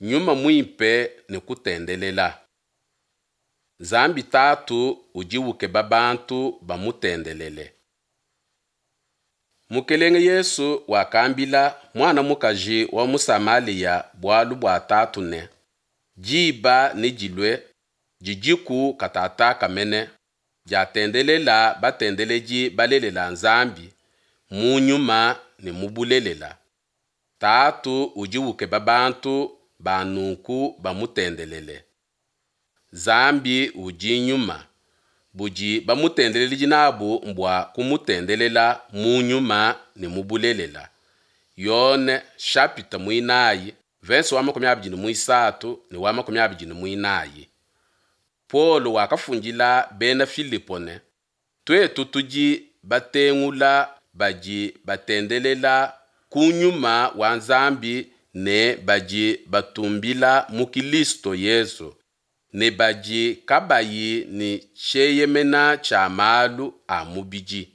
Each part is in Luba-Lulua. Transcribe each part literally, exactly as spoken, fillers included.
Nyuma Muimpe ne kutendelela. Nzambi Tatu udi ukeba bantu bamutendelele. Mukelenge Yesu wakambila muana mukaji wa mu Samalia bualu bua Tatu ne, Diba nedilue, didiku katataka mene, diatendelela batendeledi balelela Nzambi mu nyuma ne mu bulelela. Tatu udi ukeba bantu ba nunku bamutendelele. Nzambi udi nyuma, budi bamutendeledi nabu mbua kumutendelela mu nyuma ne mu bulelela. Yone chapitre muinayi, verse wa makumi abidi ne muisatu ne wa makumi abidi ne muinayi. Paulo wakafundila bena Filipo ne, tuetu tudi batengula badi batendelela ku nyuma wa Nzambi ne badi batumbila mu Kilisto Yesu, ne badi kabayi ne tshieyemena tshia malu a mubidi.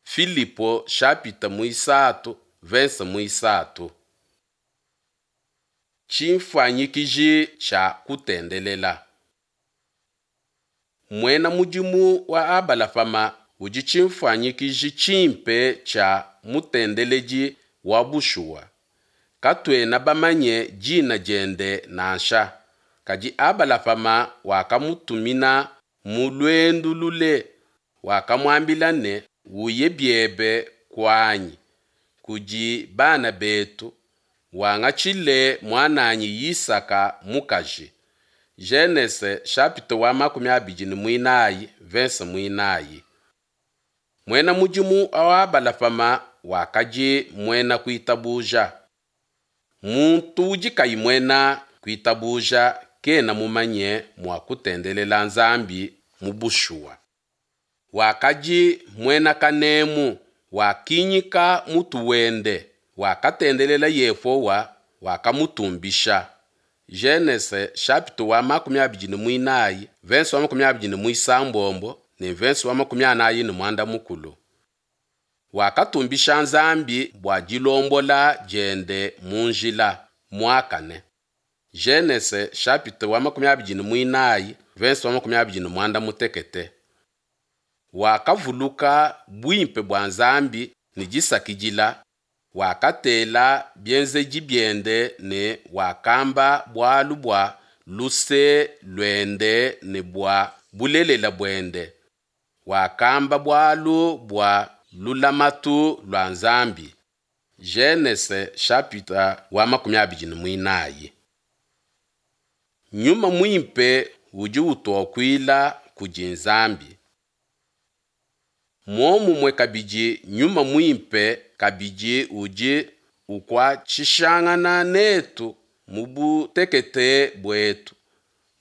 Filipo chapitre muisatu, verse muisatu. Tshinfuanyikiji tshia kutendelela. Muena mudimu wa Abalahama udi tshinfuanyikiji tshimpe tshia mutendeledi wa bushuwa. Katuena bamanye dina diende nansha, kadi Abalahama wakamutumina mu luendu lule, wakamuambila ne, Uye biebe kuanyi, kudi bana betu, wangatshile muananyi Yisaka mukaji. Genese chapitre wa makumi abidi ne muinayi, verse muinayi. Muena mudimu wa Abalahama wakadi muena kuitabuja. Muntu udi kayi muena kuitabuja kena mumanye mua kutendelela Nzambi mu bushuwa. Wakadi muena kanemu, wakinyika mutu wende, wakatendelela Yehowa, wakamutumbisha. Genese chapitre wa makumi abidi ne muinayi, verse wa makumi abidi ne muisambombo ne verse wa makumi anayi ne muanda mukulu. Wakatumbisha Nzambi bua dilombola diende mu njila muakane. Genese chapitre wa makumi abidi ne muinayi, verse wa makumi abidi ne muanda mutekete. Wakavuluka buimpe bua Nzambi ne disakidila, wakatela bienzedi biende ne wakamba bualu bua luse luende ne bua bulelela buende. Wakamba bualu bua lulamatu lua Nzambi. Genese chapitre wa makumi abidi ne muinayi. Nyuma Muimpe udi utuakuila kudi Nzambi. Muomumue kabidi Nyuma Muimpe kabidi udi ukuatshishangana netu mu butekete buetu,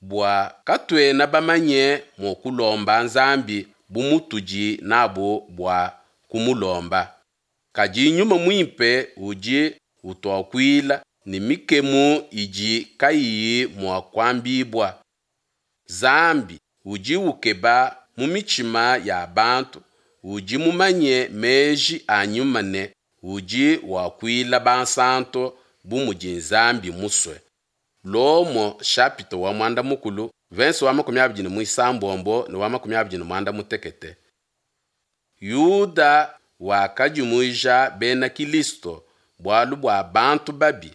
bua katuena bamanye mua kulomba Nzambi bu mutudi nabu bua kumulomba, kadi Nyuma Muimpe udi utuakuila ne mikemu idi kayiyi mua kuambibua. Nzambi udi ukeba mu mitshima ya bantu, udi mumanye meji a Nyuma ne udi wakuila bansanto bu mudi Nzambi musue. Lomo chapitre wa muanda mukulu, verse wa makumi abidi ne muisambombo ne wa makumi abidi ne muanda mutekete. Yuda wakadimuija bena Kilisto bualu bua bantu babi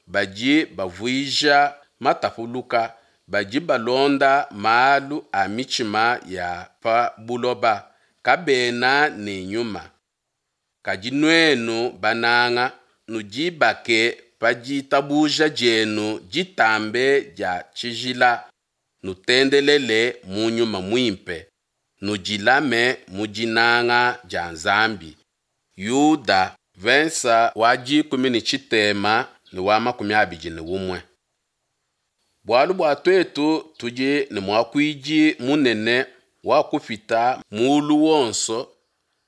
badi bavuija matapuluka, badi balonda malu a mitshima ya pa buloba, kabena ne nyuma. Kadi nuenu bananga, nudibake pa ditabuja dienu ditambe dia tshijila, nutendelele mu Nyuma Muimpe, nudilame mu dinanga dia Nzambi. Yuda, verse wa dikumi ne tshitema ne wa makumi abidi ne umue. Bualu bua tuetu tudi ne muakuidi munene wakupita mulu wonso,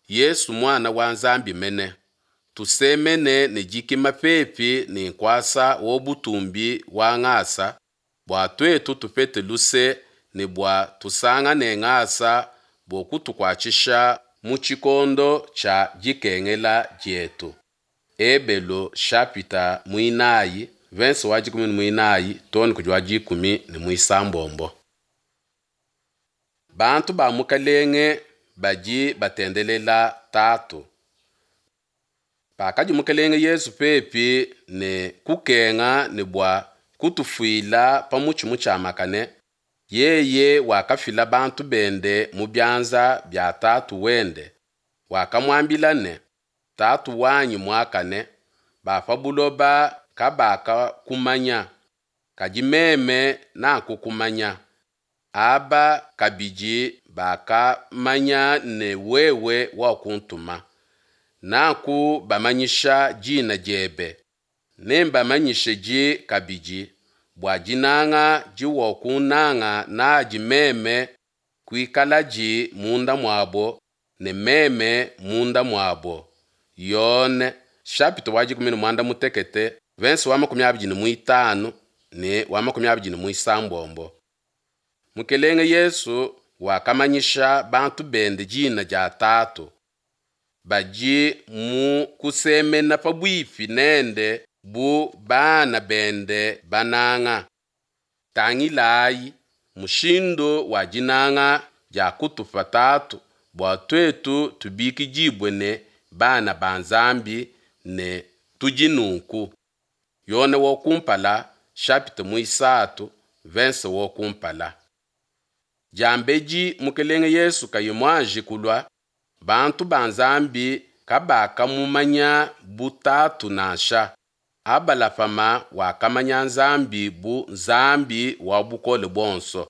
Yesu Muana wa Nzambi mene, tusemene ne dikima pepi ne nkuasa wa butumbi wa ngasa, bua tuetu tupete luse ne bua tusangane ngasa bua kutukuatshisha mu tshikondo tshia dikengela dietu. Ebelu chapitre muinayi, Verse wa dikumi ne muinayi too ne kudi wa dikumi ne muisambombo. Bantu ba Mukelenge badi batendelela Tatu. Pakadi Mukelenge Yesu pepi ne kukenga ne bua kutufuila pa mutshi mutshiamakane, yeye wakafila bantu bende mu bianza bia Tatu wende. Wakamuambila ne, Tatu wanyi muakane, ba pa buloba kabakakumanya, kadi meme nakukumanya. Aba kabidi bakamanya ne wewe wakuntuma. Nakubamanyisha dina diebe, nembamanyishedi kabidi, bua dinanga diwakunnanga nadi meme kuikaladi munda muabo ne meme munda muabo. Yone chapitre wa dikumi ne muanda mutekete verse wa makumi abidi ne muitanu ne wa makumi abidi ne muisambombo. Mukelenge Yesu wakamanyisha bantu bende dina dia Tatu. Badi mu kusemena pabuipi nende bu bana bende bananga. Tangilayi mushindu wa dinanga dia kutupa Tatu bua tuetu tubikidibue ne bana ba Nzambi ne tudi nunku. Yone wa kumpala chapitre muisatu verse wa kumpala. Diambedi Mukelenge Yesu kayi muanji kulua, bantu ba Nzambi kabakamumanya bu Tatu nansha. Abalahama wakamanya Nzambi bu Nzambi wa bukole buonso.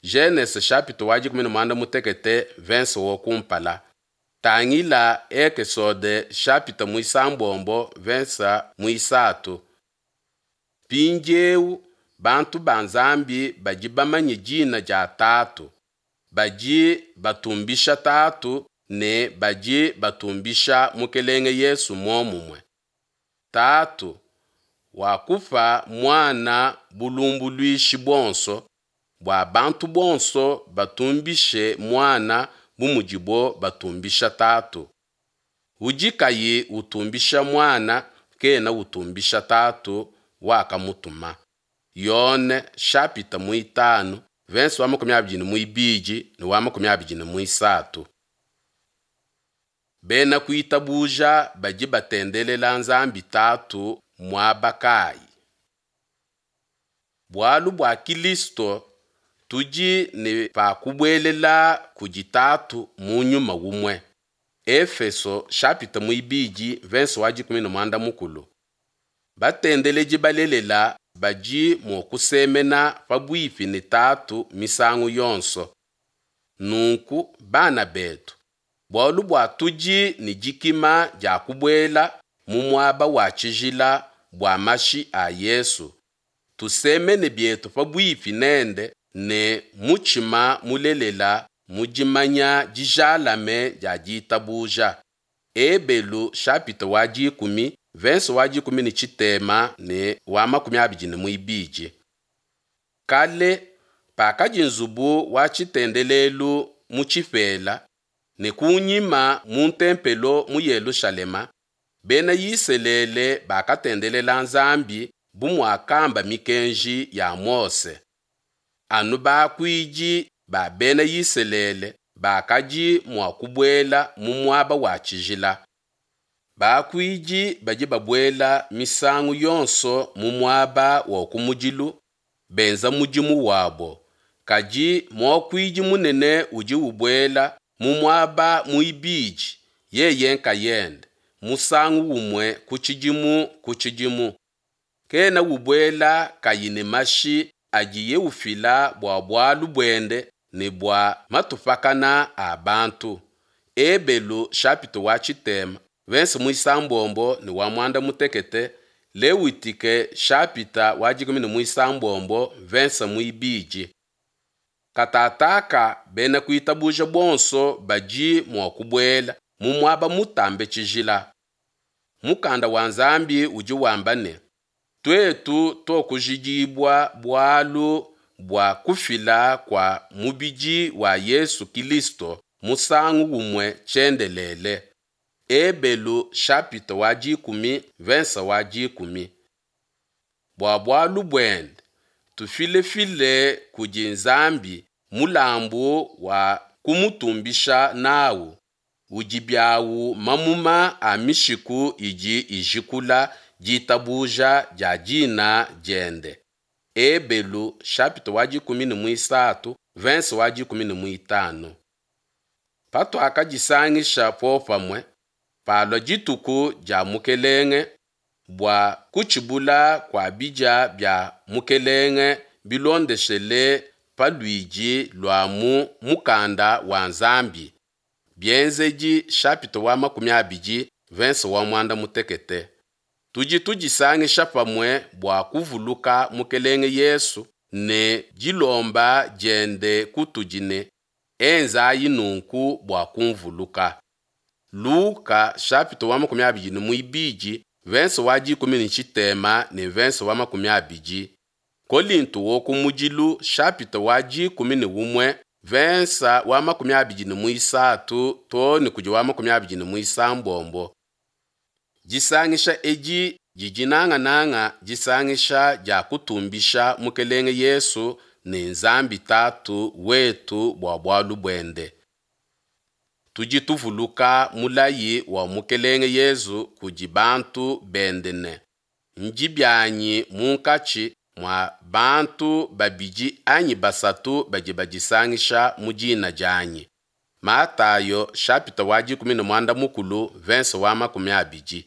Genese chapitre wa dikumi ne muanda mutekete verse wa kumpala. Tangila Ekesode chapitre muisambombo verse muisatu. Mpindieu bantu ba Nzambi badi bamanye dina dia Tatu. Badi batumbisha Tatu ne badi batumbisha Mukelenge Yesu muomumue. Tatu wakupa Muana bulumbuluishi buonso, bua bantu bonso batumbishe Muana bu mudibo batumbisha Tatu. Udi kayi utumbisha Muana kena utumbisha Tatu wakamutuma. Yone chapitre muitanu verse wa makumi abidi ne muibidi ne wa makumi abidi ne muisatu. Bena kuitabuja badi batendelela Nzambi Tatu muaba kayi? Bualu bua Kilisto tudi ne pa kubuelela kudi Tatu mu nyuma umue. Efeso chapitre muibidi verse wa dikumi ne muanda mukulu. Batendeledi balelela badi mua kusemena pabuipi ne Tatu misangu yonso. Nunku bana betu, bualu bua tudi ne dikima dia kubuela mu muaba wa tshijila bua mashi a Yesu, tusemene bietu pabuipi nende ne mutshima mulelela mu dimanya dijalame dia ditabuja. Ebelu chapitre wa dikumi verse wa dikumi ne tshitema ne wa makumi abidi ne muibidi. Kale pakadi nzubu wa tshitendelelu mu tshipela ne kunyima mu ntempelo mu Yelushalema, bena Isalele bakatendelela Nzambi bu muakamba mikenji ya Mose. Anu bakuidi ba bena Isalele bakadi mua kubuela mu muaba wa tshijila. Bakuidi badi babuela misangu yonso mu muaba wa kumudilu benza mudimu wabo, kadi muakuidi munene udi ubuela mu muaba muibidi yeye nkayende musangu umue ku tshidimu ku tshidimu. Kena ubuela kayi ne mashi adiye ufila bua bualu buende ne bua matupakana a bantu. Ebelu chapitre wa tshitema verse muisambombo ne wa muanda mutekete, Lewitike chapitre wa dikumi ne muisambombo verse muibidi. Katataka bena kuitabuja bonso badi mua kubuela mu muaba mutambe tshijila. Mukanda wa Nzambi udi wamba ne, tuetu tokujidibua bualu bua kufila kua mubidi wa Yesu Kilisto musangu umue tshiendelele. Ebelu chapitre wa dikumi verse wa dikumi. Bua bualu buende tufilefile kudi Nzambi mulambu wa kumutumbisha nawu, udi biawu mamuma a mishiku idi ijikula ditabuja dia dina diende. Ebelu chapitre wa dikumi ne muisatu verse wa dikumi ne muitanu. Patuakadisangisha popamue, palua dituku dia Mukelenge, bua kutshibula kua bidia bia Mukelenge bilondeshele pa luidi lua mu mukanda wa Nzambi, Bienzedi chapitre wa makumi abidi verse wa muanda mutekete. Tudi tudisangisha pamue bua kuvuluka Mukelenge Yesu ne dilomba diende kutudi ne, enzayi nunku bua kunvuluka. Luka chapitre wa makumi abidi ne muibidi verse wa dikumi ne tshitema ne verse wa makumi abidi. Kolinto wo ku mudilu chapitre wa dikumi ne umue verse wa makumi abidi ne muisatu to ne kudi wa makumi abidi ne muisambombo. Disangisha edi didi nangananga disangisha dia kutumbisha Mukelenge Yesu ne Nzambi Tatu wetu bua bualu buende. Tudi tuvuluka mulayi wa Mukelenge Yesu kudi bantu bende ne, Ndi bianyi munkatshi mua bantu babidi anyi basatu badi badisangisha mu dina dianyi. Matayo chapitre wa dikumi ne muanda mukulu verse wa makumi abidi.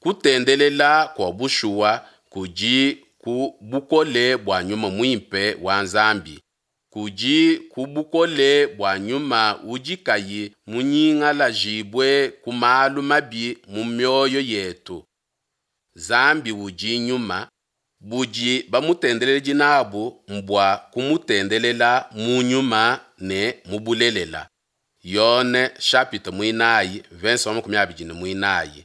Kutendelela kua bushuwa kudi ku bukole bua nyuma muimpe wa Nzambi. Kudi ku bukole bua nyuma udi kayi munyingalajibue ku malu mabi mu mioyo yetu. Nzambi udi nyuma, budi bamutendeledi nabu mbua kumutendelela mu nyuma ne mu bulelela. Yone chapitre muinayi verse wa makumi abidi ne muinayi.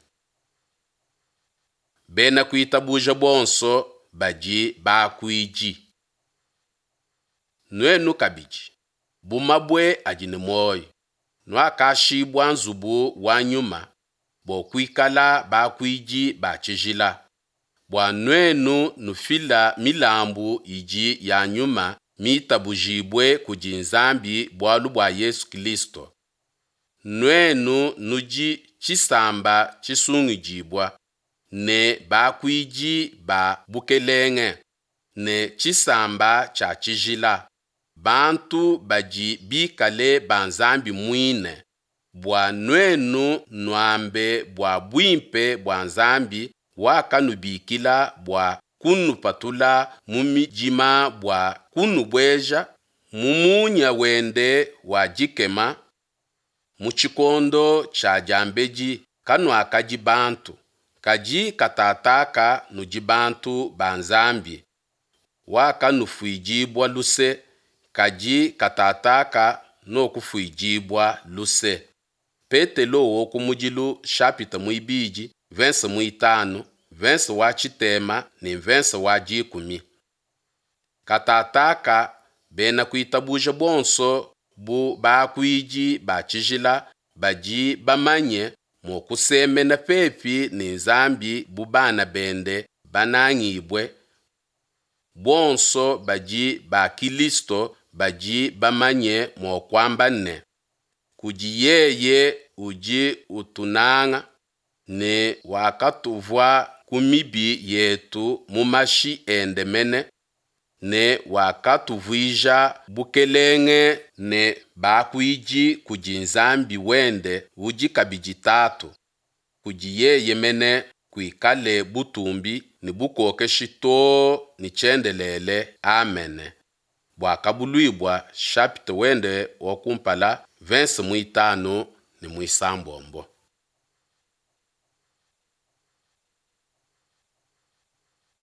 Bena kuitabuja bonso badi bakuidi. Nuenu kabidi, bu mabue adi ne muoyo, nuakashibua nzubu wa nyuma, bua kuikala bakuidi ba tshijila, bua nuenu nufila milambu idi ya nyuma mitabujibue kudi Nzambi bualu bua Yesu Kilisto. Nuenu nudi tshisamba tshisungidibua, ne bakuidi ba bukelenge, ne tshisamba tshia tshijila, bantu badi bikale ba Nzambi muine, bua nuenu nuambe bua buimpe bua Nzambi wakanubikila bua kunupatula mu midima bua kunubueja mu munya wende wa dikema. Mu tshikondo tshia diambedi kanuakadi bantu, kadi katataka nudi bantu ba Nzambi. Wakanufuidibua luse, kadi katataka nuakufuidibua luse. Petelo wo ku mudilu chapitre muibidi verse muitanu, verse wa tshitema ne verse wa dikumi. Katataka bena kuitabuja bonso bu bakuidi ba tshijila badi bamanye mua kusemena pepi ne Nzambi bu bana bende banangibue. Bonso badi ba Kilisto badi bamanye mua kuamba ne, kudi yeye udi utunanga ne wakatuvua ku mibi yetu mu mashi ende mene, ne wakatuvuija bukelenge ne bakuidi kudi Nzambi wende udi kabidi Tatu, kudi yeye mene kuikale butumbi ne bukokeshi too ne tshiendelele. Amene. Buakabuluibua chapitre wende wa kumpala verse muitanu ne muisambombo.